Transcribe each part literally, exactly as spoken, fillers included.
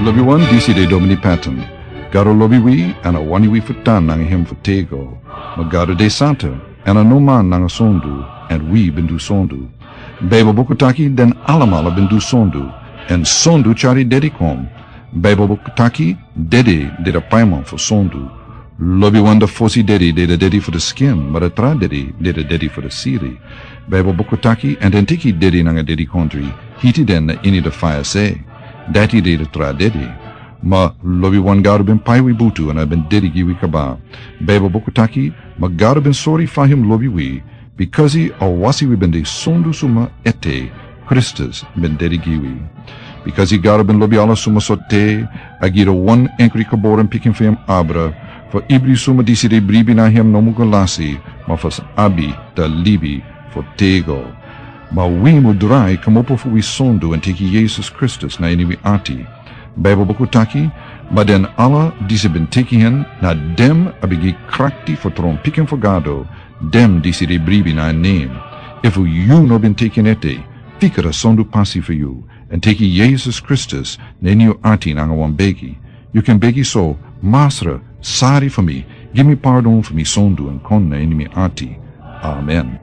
Lobi wan, disi de Domini Patton. Gado lobi wi, èn a wani wi fu tan nanga hem fu tego. Ma Gado de santa, èn a no man nanga sondu, èn wi ben du sondu. Baibel buku taki den alamala ben du sondu, èn sondu tyari dedi kon. Baibel buku taki dedi de a paiman fu sondu. Lobi wan, a fosi dedi de a dedi fu a skin, ma a tra dedi de a dedi fu a siri. Baibel buku taki, èn den teki dedi nanga dedikondri, hiti den na ini a faya se. Dati de a tra dedi. Ma lobi wan, Gado ben pai wi butu èn a ben dedi gi wi kaba. Baibel buku taki, ma Gado ben sori fa hem lobi wi, bikasi a wasi wi ben de sondu suma ete, Kristus ben dedi gi wi. Bikasi Gado ben lobi ala suma so te, a gi a wan enkri geboren pikin fu hem abra, fu ibri suma disi de bribi na hem no mu go lasi, ma fu abi a libi fu tego. Ma wi mu drai kmopo fu wi sondu èn teki Yesus Kristus na ini wi ati. Baibel buku taki, ma den ala disi ben teki hen, na den a ben gi krakti fu tron pikin fu Gado, den disi de bribi na en nen. Efu yu no ben teki en ete, fika a sondu pasi fu yu, èn teki Yesus Kristus na ini yu ati nanga wan begi. Yu kan begi so: Masra, sori fu mi, gi mi pardon fu mi sondu èn kon na ini mi ati. Amen.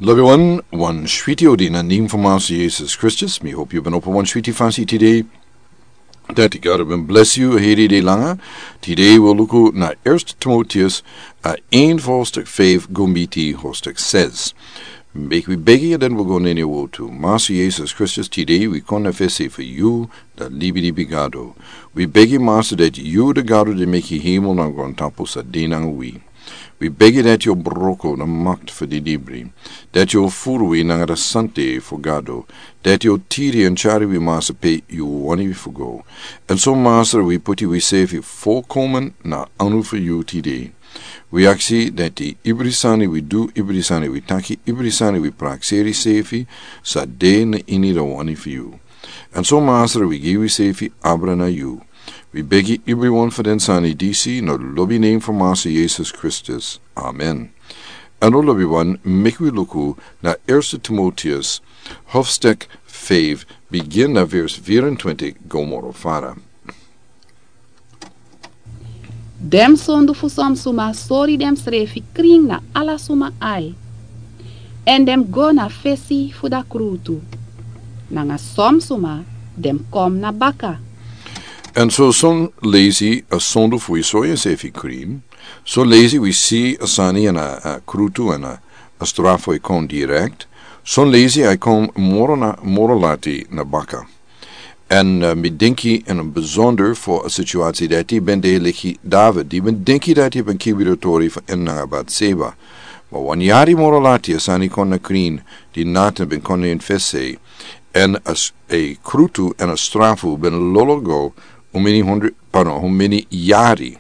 Lobi wan, wan switi odi na nen fu Masra Yesus Kristus. Mi hopi yu ben opo wan switi fasi tide. Dati Gado ben blesi yu heri de langa. Tide wi o luku na Eerste Timoteus, a één hoofdstuk vijf go miti hoofdstuk zes. Meki wi begi, èn den wi go na ini a wotu. Masra Yesus Kristus, tide wi kon na fesi fu yu, a libilibi Gado. Wi begi, Masra, dati yu a Gado di meki hemel nanga grontapu san de nanga wi. Wi begi dati yu o broko a makti fu di libri, dati yu o furu wi nanga a sante fu Gado, dati yu o tiri èn tyari wi, Masra, pe yu wani wi fu go. Èn so, Masra, wi poti wisrefi volkomen na anu fu yu tide. Wi aksi dati ibri sani wi du, ibri sani wi taki, ibri sani wi prakseri srefi, sa de na ini a wani fu yu. Èn so, Masra, wi gi wisrefi abra na yu. Wi begi ibri wan fu den sani disi na lobi nen fu Masra Yesus Kristus. Amen. Èn now, lobi wan, meki wi luku na Eerste Timoteus, hoofdstuk vijf, bigin na vers vierentwintig go moro fara. Den sondu fu son suma sori densrefi krin na ala suma ai. Èn den go na fesi fu a krutu. Nanga son suma den kon na baka. Èn so son leisi a sondu fu wi sori ensrefi krin. Son leisi wi si a sani èn a, a krutu èn a, a strafu e kon direkt. Son leisi a e kon moro na, moro lati na baka. Èn, eh, mi denki ini a bizonder fu a situasi dati ben de leki David, di ben denki dati ben kibi a tori fu en nanga Batseba. Ma wan yari moro lati a sani kon na krin, di Natan ben kon na en fesi. Èn a s-, a krutu èn a strafu ben lolo go, un meni hondro, pardon, un meni yari.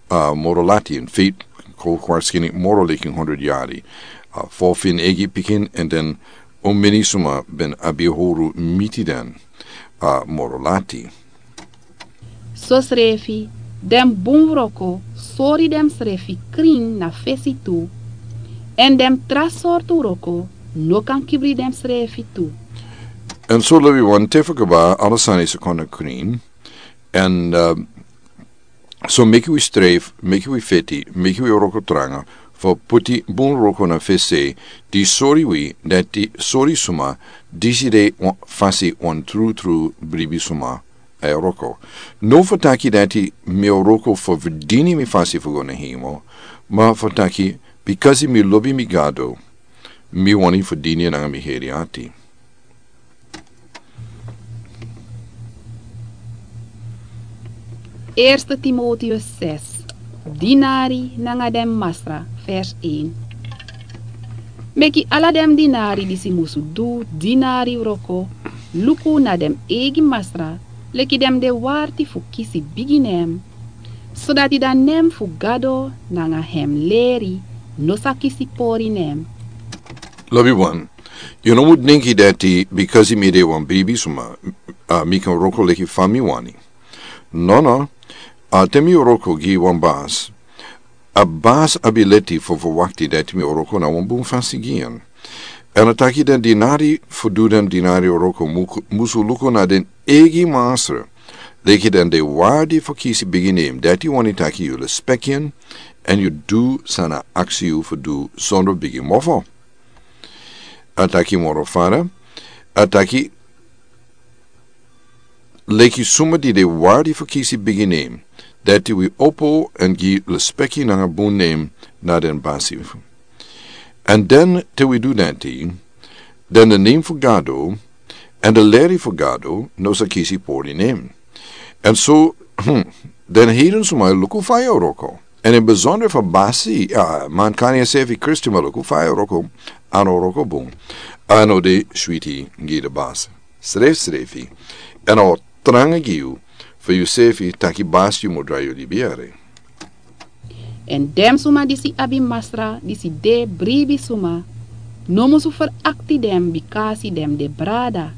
Ah, moro lati, in feite, kon waarschijnlijk moro leki hondro yari. Ah, fo fu en eigi pikin, èn den un meni suma ben abi howru miti den, ah, moro lati. Sosrefi, den bun wroko sori densrefi krin na fesi tu. Èn den tra sortu wroko no kan kibri densrefi tu. Èn so, lobi wan, te fu kaba ala sani sa kon na krin. Èn, ah, So meki wi strijf, meki wi feti, meki wi wroko tranga, fu poti bun wroko na fesi, di sori wi, dati sori suma, disi de wan, fasi wan trutru bribi suma, a e wroko. No fu taki dati mi e wroko fu ferdini mi fasi fu go na hemel, ma fu taki, bikasi mi lobi mi Gado, mi wani ferdini nanga mi heri ati. Eerste Timotheus zes, dinari nanga den masra, vers één. Meki ala den dinari disi musu du dinari wroko, luku na den eigi masra, leki den de warti fu kisi bigi nen, sodati a nen fu Gado nanga hem leri no sa kisi pori nen. Lobi wan, yu no musu denki dati bikasi mi de wan bribi suma, a, mi kan wroko leki fa mi wani. Nono, a, te mi wroko gi wan basi, a basi abi leti fu, fu wakti dati mi wroko na wan bun fasi gi en. Èn a taki den dinari fu du den dinari wroko mu-, musu luku na den eigi masra, leki den de wardi fu kisi bigi nem, dati wani taki yu lespeki en, èn yu du san a aksi yu fu du sondro bigi mofo. A taki moro fara, a taki leki suma di de wardi fu kisi bigi nem, dati wi opo èn gi lespeki nanga bun nem na den basi. Èn den te wi du dati, den de nem fu Gado, èn de leri fu Gado no sa kisi pori nem. Èn so, den heden suma e luku fa yu o wroko. Èn in besonder fu basi, a, man kan yu sefi Kristi, ma luku fa yu o wroko, a no wroko bun. A no de switi gi de basi. Srefsrefi. Èn a o tranga gi yu, fu yu sefi taki basi yu mu drai yu libi yere. Èn den suma disi abi masra disi de bribi suma, no musu ferakti den bikasi den de brada.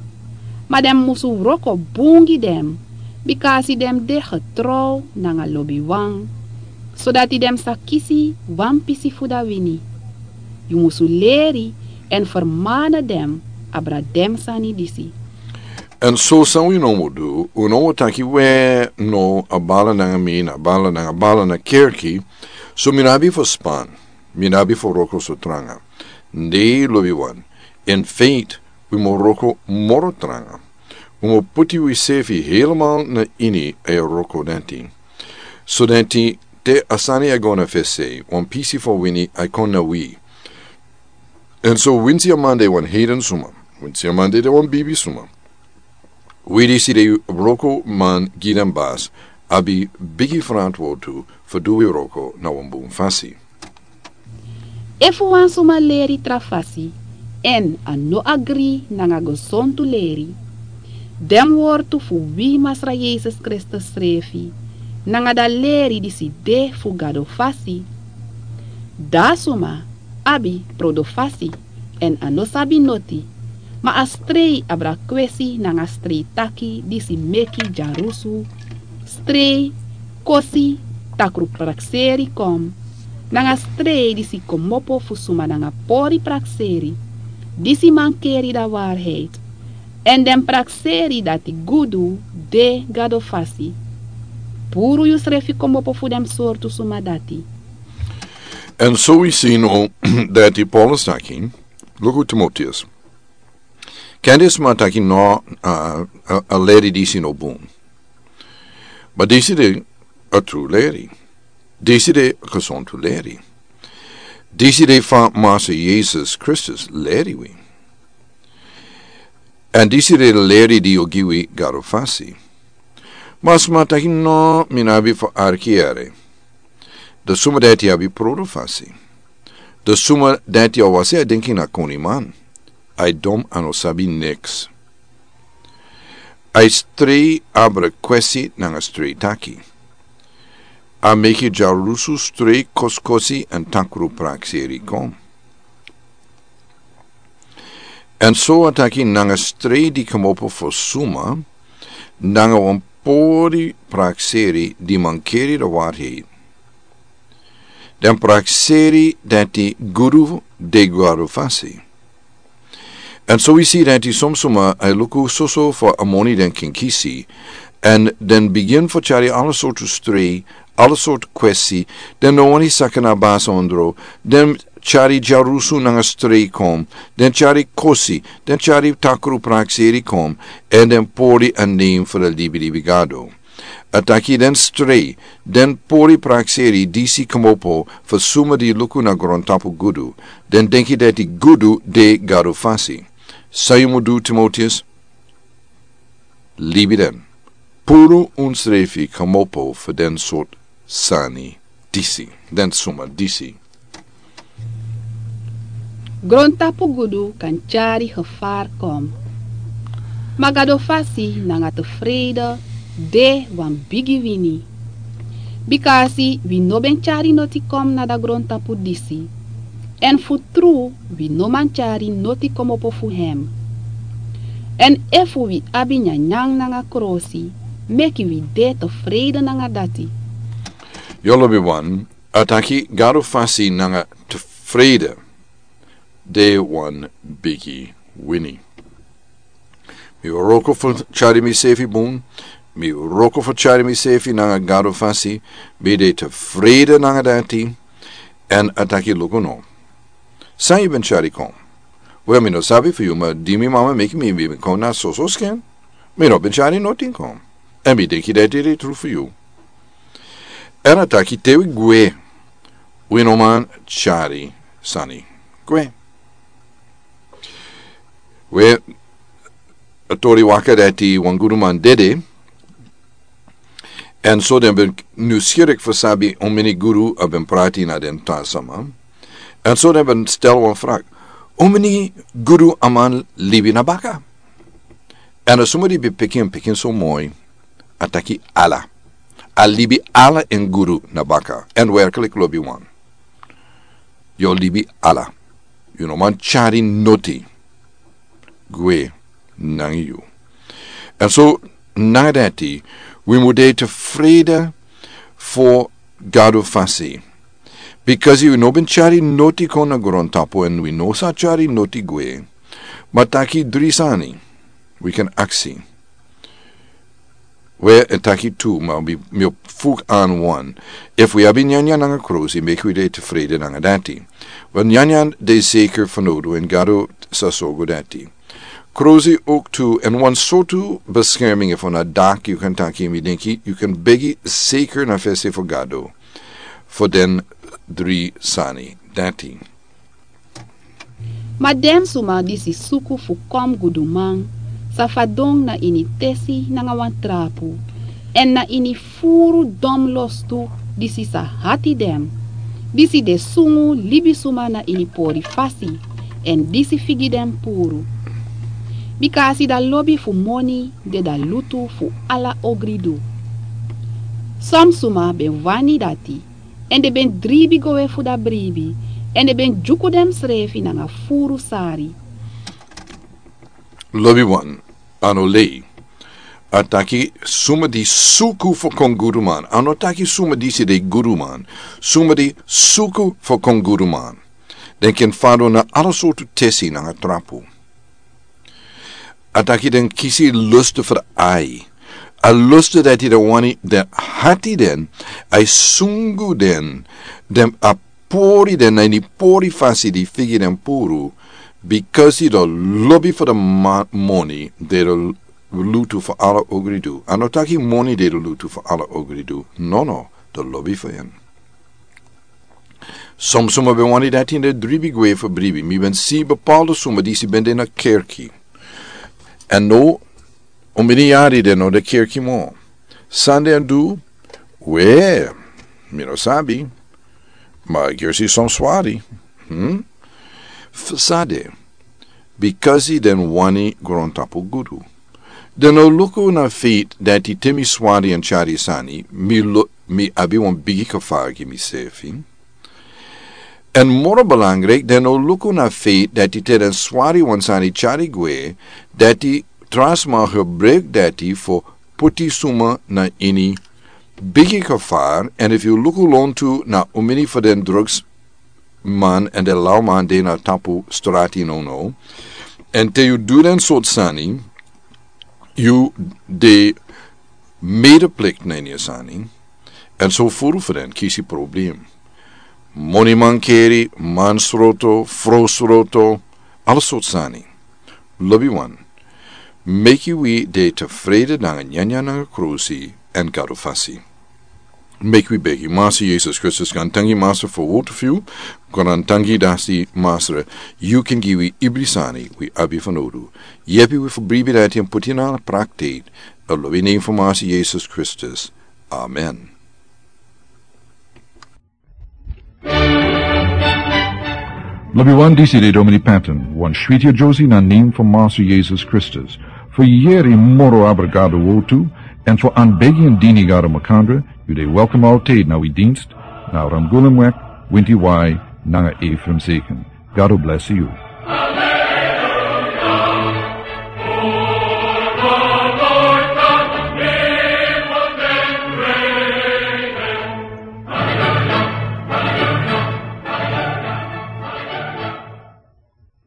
Ma den musu wroko bun gi den, bikasi den de getrow nanga lobiwan, sodati den sa kisi wan pisi fu dati wini. Yu musu leri èn fermana den abra den sani disi. Èn so san wi no mu du, un no mu taki we no a bala nanga mi, na bala nanga bala na kerki, so mi no abi fu span, mi no abi fu wroko so tranga. Nei, lobiwan, in feiti, wi mu wroko moro tranga. Wi mu puti wi sefi helemaal na ini a wroko dati. Sodati te a sani e go na fesi, wan pisi fu wini e kon na wi. Èn so winsi a man de wan heden suma, winsi a man de wan bibi suma, wi disi de wrokoman gi den basi abi bigi ferantwortu fu du wi wroko na wan bun fasi. Efu wan suma leri tra fasi, èn a no agri nanga gesontu leri, den wortu fu wi Masra Yesus Kristus srefi, nanga dati leri disi de fu Gado fasi, dati suma abi prodo fasi, èn a no sabi noti, ma a strei abra kwesi nanga strei taki disi meki dyarusu, strei, kosi, takru prakseri kon, nanga strei disi kmopo fu suma nanga pori prakseri, disi mankeri dati waarheid, èn den prakseri dati gudu de Gado fasi. Puru yusrefi kmopo fu den sortu suma dati. Èn so wi si now dati Paulus taki, luku Timoteus. Kande sma taki no, a, a, a leri disi no bun. Ma disi de a tru leri. Disi de a gesontu leri. Disi de fa Masra Yesus Kristus leri wi. Èn disi de leri di o gi wi Gado fasi. Ma sma taki no, mi no abi fu arki yere. Dan suma dati abi prodo fasi. Dan suma dati a wasi a denki na koniman. A e dom, a no sabi niks. A e strei abra kwesi nanga strei taki. A meki dyarusu, strei, kosikosi èn takru prakseri kon. Èn so a taki nanga strei di kmopo fu suma, nanga wan pori prakseri di mankeri dati waarheid. Den prakseri dati gudu de Gado fasi. Èn so wi si dati son suma e luku soso fu a moni den kan kisi, èn den bigin fu tyari ala sortu strei, ala sortu kwesi, den no wani saka na basi ondro, den tyari dyarusu nanga strei kon, den tyari kosi, den tyari takru prakseri kon, èn den pori a nem fu a libilibi Gado. A taki den strei, den pori prakseri disi kmopo fu suma di luku na grontapu gudu, den denki dati gudu de Gado fasi. San yu mu du, Timoteus? Libi den. Puru unsrefi kmopo fu den sortu sani disi, den suma disi. Grontapu gudu kan tyari gevaar kon. Ma Gado fasi nanga tevreide de wan bigi wini. Bikasi wi no ben tyari noti kon na dati grontapu disi. Èn fu tru, wi no man tyari noti kmopo fu hem. Èn efu wi abi nyanyan nanga krosi, meki wi de tevreide nanga dati. Yu lobiwan, a taki Gado fasi nanga tevreide de wan bigi wini. Mi wroko fu tyari misefi bun. Mi wroko fu tyari misefi nanga Gado fasi. Mi de tefrede nanga dati. Èn a taki luku no. San yu ben tyari kon? Wel, mi no sabi fu yu, ma di mi mama meki mi, mi ben kon na soso skin. Mi no ben tyari notin kon. Èn mi denki dati de tru fu yu. Èn a taki te wi gwe, wi no man tyari sani gwe. We, a tori waka dati wan guduman dede. Èn so den ben nuskirik fu sabi omeni gudu a ben prati na den tra sama. Èn so den ben stel wan frak: Omeni gudu a man libi na baka? Èn a suma di ben piki en pikin so moi, a taki ala. A libi ala en gudu na baka. Èn werklik lobi wan. Yu o libi ala. Yu no man tyari noti gwe nanga yu. Èn so nanga dati, wi mu de tefrede fu Gado fasi. Bikasi wi no ben tyari noti kon na grontapu èn wi no sa tyari noti gwe. Ma taki dri sani wi kan aksi. We, a taki tu, ma mi, mi o fuk an wan. Efu wi abi nyanyan nanga krosi, meki wi de tefrede nanga dati. Want nyanyan de zeker fanowdu èn Gado sa sorgu dati. Krosi ook tu, èn wan sortu bescherming efu na dak yu kan taki, mi denki yu kan begi zeker na fesi fu Gado fu den dri sani dati. Ma den suma disi suku fu kon guduman sa fadon na ini tesi nanga wan trapu, èn na ini furu don lostu disi sa hati den, disi de sungu libisuma na ini pori fasi, èn disi figi den puru. Bika a si da lobi fu moni de da lutu fu ala ogridu. Son suma ben wani dati, èn den ben dribi go we fu da bribi, èn den ben dyuku densrefi nanga furu sari. Lobi wan, a no lei. A taki suma di suku fu kon guduman. A no taki suma disi de guduman. Suma di suku fu kon guduman. Den ken fadon na ala sortu tesi nanga trapu. A taki den kisi lustu fu de ai. A lustu dati den wani, den hati den, a e sungu den, den a pori den na ini pori fasi di figi den puru, bikasi den lobi fu de ma-, moni de de lutu fu ala ogridu. A no taki moni de de lutu fu ala ogridu. No, no, den lobi fu en. Son suma ben wani dati èn den dribi gwe fu bribi. Mi ben si bepaalde suma disi ben de na kerki. Èn now, omeni yari den no de kerki moro. San den du, we, mi no sabi. Ma gersi son swari. Hmm? Fu san de, bikasi den wani grontapu gudu. Den no luku na feit dati te mi swari èn tyari sani, mi lo-, mi abi wan bigi kafar gi misefi. Èn moro belangriki, den no luku na feit dati te den swari wan sani tyari gwe, dati tra sma gebruik dati fu puti suma na ini bigi kafar. Èn efu yu luku lontu na omeni fu den drugs man èn den lawman de na tapu strati nownow. Èn te yu du den sortu sani, yu de medeplikt na ini a sani. Èn so furu fu den kisi problem. Moni mankeri, mansroto, frosroto, ala sortu sani. Lobi wan, meki wi de tefrede nanga nyanyan nanga krosi èn Gado fasi. Meki wi begi. Masi Yesus Kristus, gaantangi Masi fu a wowtu fu yu. Gaantangi dati Masi, yu ken gi wi ibri sani wi abi fanowdu. Yepi wi fu bribi dati èn puti na praktik. A lobi nen fu Masi Yesus Kristus. Amen. Lobi wan, disi de Domini Patton, wan switi a Josie na nen fu Masi Yesus Kristus. Fu yeri moro abra Gado wowtu, èn fu anbegi èn dini Gado makandra, yu de welkom altijd na wi dienst, na Ramgulumweg, winti wai, nanga Ephraim Zeken. Gado bless yu.